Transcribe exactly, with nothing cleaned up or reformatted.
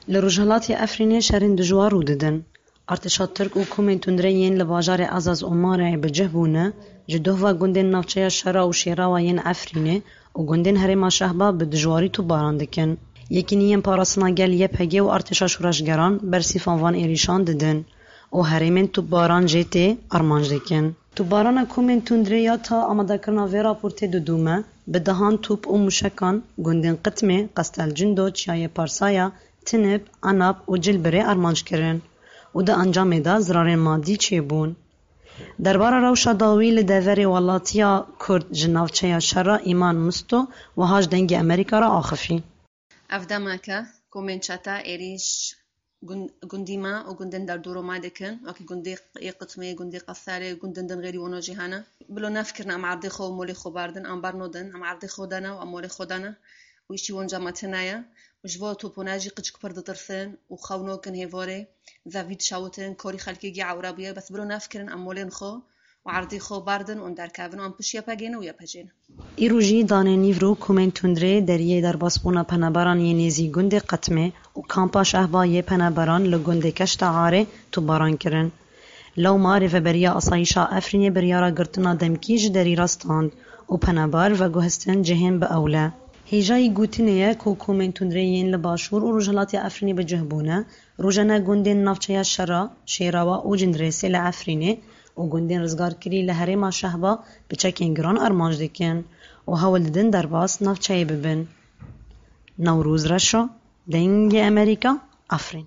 Li Rojhilatê Efrînê şerên dijwar rû didin. Artêşa Tirk û komên tundre yên li bajarê Azaz û Marayê bi cih bûne, ji doh ve gundên navçeya Şera û Şêrawa yên Efrînê û gundên herêma Şehba bi dijwarî topbaran dikin. Yekînî yên parastina gel Y P G û artêşa şoreşgeran bersîfan van êrîşan didin û herêmên topbaran jê tê armanc dikin. Topbarana komên tundrê ya ta amadekirina vê raportê didome, bi dehan top û mûşekan gundên Qitmê, Qestel Cindo, Çiyayê Parsaya, Tinib, Anab û Cilbirê armanc kirin û di encamê de zirarên madî çêbûn. Derbara rewşa dawî li deverê welatiya Kurd ji navçeya Şera Îman Misto wiha ji Dengê Amerîka re axifî. Ev demeke komên çete êrîş gund-, gundî me û gundên derdor û me dikin, wekî gundê Q-, Qitmê, gundê Qeserê, gundên din xeyrî wano jî hene. Bilo nefikirin em erdê xwe û molê xwe berdin, em bernodin, em erdê xwe dene û em molê xwe dene û îşî wonca me tune ye. Û ji bo topone jî qicik pir ditirsin û xew nokin hêvorê, zevî dişewitin, korî xelkê gî ewre bûye, bes bilo nefikirin em molên xwe û erdê xwe berdin û em derkevin û em pişt Y P G ne û Y P G ne. Îro jî danê nîvro komên tundrê deriyê derbasbûna penaberan yê nêzî gundê Qetmê û kampa Şehba yê penaberan li gundê Keşta Arê topbaran kirin. Lewma Rêveberiya Asayîşa Efrînê biryara girtina demkî ji derî re stand û penaber veguhestin cihên bi ewle. Hêjayî gotinê ye ku komên tundrê yên li Başûr û Rojhilatê Efrînê bi cih bûne, rojane gundên navçeya Şera, Şêrawa û Cindirêsê li Efrînê û gundên rizgarkirî li herêma Şehba bi çekên giran armanc dikin û hewl didin derbas navçeyê bibin. Newroz Reşo, Dengê Amerîka, Efrîn.